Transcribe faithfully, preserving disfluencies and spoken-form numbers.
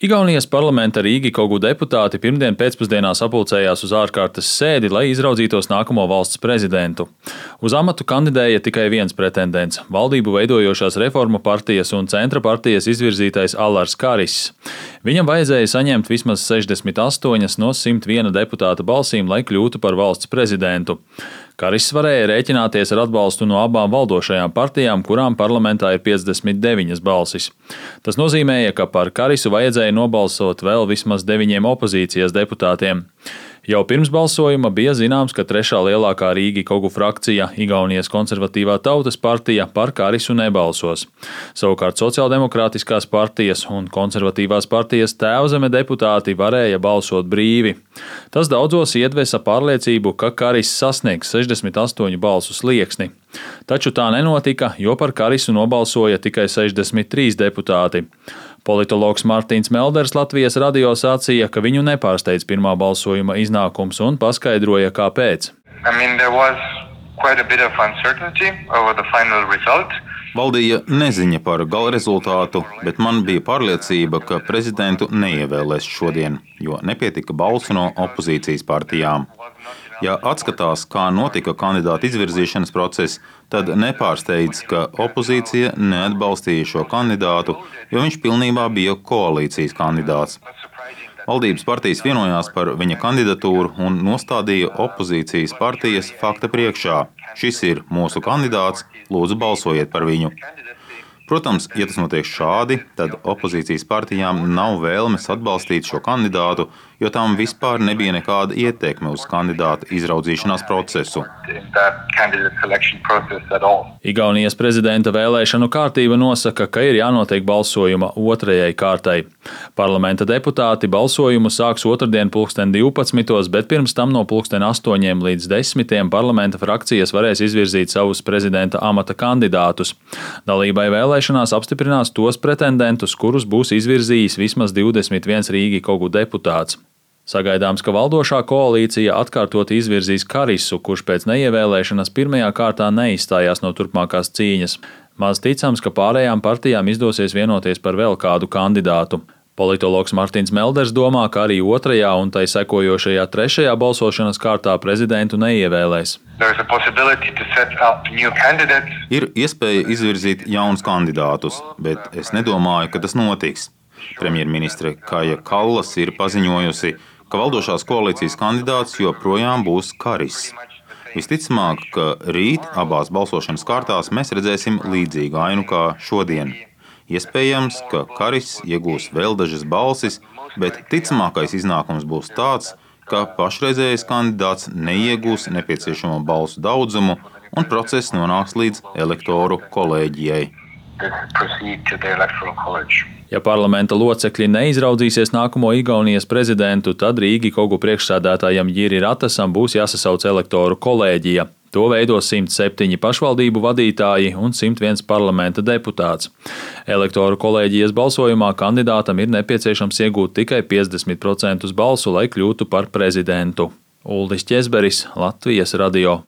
Igaunijas parlamenta Rīgikogu deputāti pirmdien pēcpusdienā sapulcējās uz ārkārtas sēdi, lai izraudzītos nākamo valsts prezidentu. Uz amatu kandidēja tikai viens pretendents - valdību veidojošās Reformu partijas un Centra partijas izvirzītais Alars Kariss. Viņam vajadzēja saņemt vismaz sešdesmit astoņas no simt viena deputāta balsīm, lai kļūtu par valsts prezidentu. Kariss varēja rēķināties ar atbalstu no abām valdošajām partijām, kurām parlamentā ir piecdesmit deviņas balsis. Tas nozīmēja, ka par Karisu vajadzēja nobalsot vēl vismaz deviņiem opozīcijas deputātiem. Jau pirms balsojuma bija zināms, ka trešā lielākā Rīgikogu frakcija, Igaunijas konservatīvā tautas partija, par Karisu nebalsos. Savukārt sociāldemokrātiskās partijas un konservatīvās partijas Tēvzeme deputāti varēja balsot brīvi. Tas daudzos iedvesa pārliecību, ka Kariss sasniegs sešdesmit astoņu balsu slieksni. Taču tā nenotika, jo par Karisu nobalsoja tikai sešdesmit trīs deputāti. Politologs Mārtiņš Melders Latvijas radio sacīja, ka viņu nepārsteidz pirmā balsojuma iznākums un paskaidroja, kāpēc. I mean, there was quite a bit of uncertainty over the final result. Valdīja neziņa par gala rezultātu, bet man bija pārliecība, ka prezidentu neievēlēs šodien, jo nepietika balsu no opozīcijas partijām. Ja atskatās, kā notika kandidāta izvirzīšanas process, tad nepārsteidz, ka opozīcija neatbalstīja šo kandidātu, jo viņš pilnībā bija koalīcijas kandidāts. Valdības partijas vienojās par viņa kandidatūru un nostādīja opozīcijas partijas fakta priekšā. Šis ir mūsu kandidāts, lūdzu balsojiet par viņu. Protams, ja tas notiek šādi, tad opozīcijas partijām nav vēlmes atbalstīt šo kandidātu, jo tām vispār nebija nekāda ietekme uz kandidāta izraudzīšanās procesu. Igaunijas prezidenta vēlēšanu kārtība nosaka, ka ir jānotiek balsojuma otrajai kārtai. Parlamenta deputāti balsojumu sāks otrdien pulksten divpadsmitos, bet pirms tam no pulksten astoņiem līdz desmitiem parlamenta frakcijas varēs izvirzīt savus prezidenta amata kandidātus. Dalībai vēlēšanās apstiprinās tos pretendentus, kurus būs izvirzījis vismaz divdesmit viens Rīgikogu deputāts. Sagaidāms, ka valdošā koalīcija atkārtot izvirzīs Karisu, kurš pēc neievēlēšanas pirmajā kārtā neizstājās no turpmākās cīņas. Maz ticams, ka pārējām partijām izdosies vienoties par vēl kādu kandidātu. Politologs Mārtiņš Melders domā, ka arī otrajā un tai sekojošajā trešajā balsošanas kārtā prezidentu neievēlēs. Ir iespēja izvirzīt jaunus kandidātus, bet es nedomāju, ka tas notiks. Premjerministre Kaja Kallas ir paziņojusi, ka valdošās koalīcijas kandidāts joprojām būs Kariss. Visticamāk, ka rīt abās balsošanas kārtās mēs redzēsim līdzīgu ainu kā šodien. Iespējams, ka Kariss iegūs vēl dažas balsis, bet ticamākais iznākums būs tāds, ka pašreizējais kandidāts neiegūs nepieciešamo balsu daudzumu un process nonāks līdz elektoru kolēģijai. Ja parlamenta locekļi neizraudzīsies nākamo Igaunijas prezidentu, tad Rīgikogu priekšsēdētājam Jiri Ratasam būs jāsasauc elektoru kolēģija. To veido simt septiņi pašvaldību vadītāji un simt viens parlamenta deputāts. Elektoru kolēģijas balsojumā kandidātam ir nepieciešams iegūt tikai piecdesmit procentus balsu, lai kļūtu par prezidentu. Uldis Ķezberis, Latvijas radio.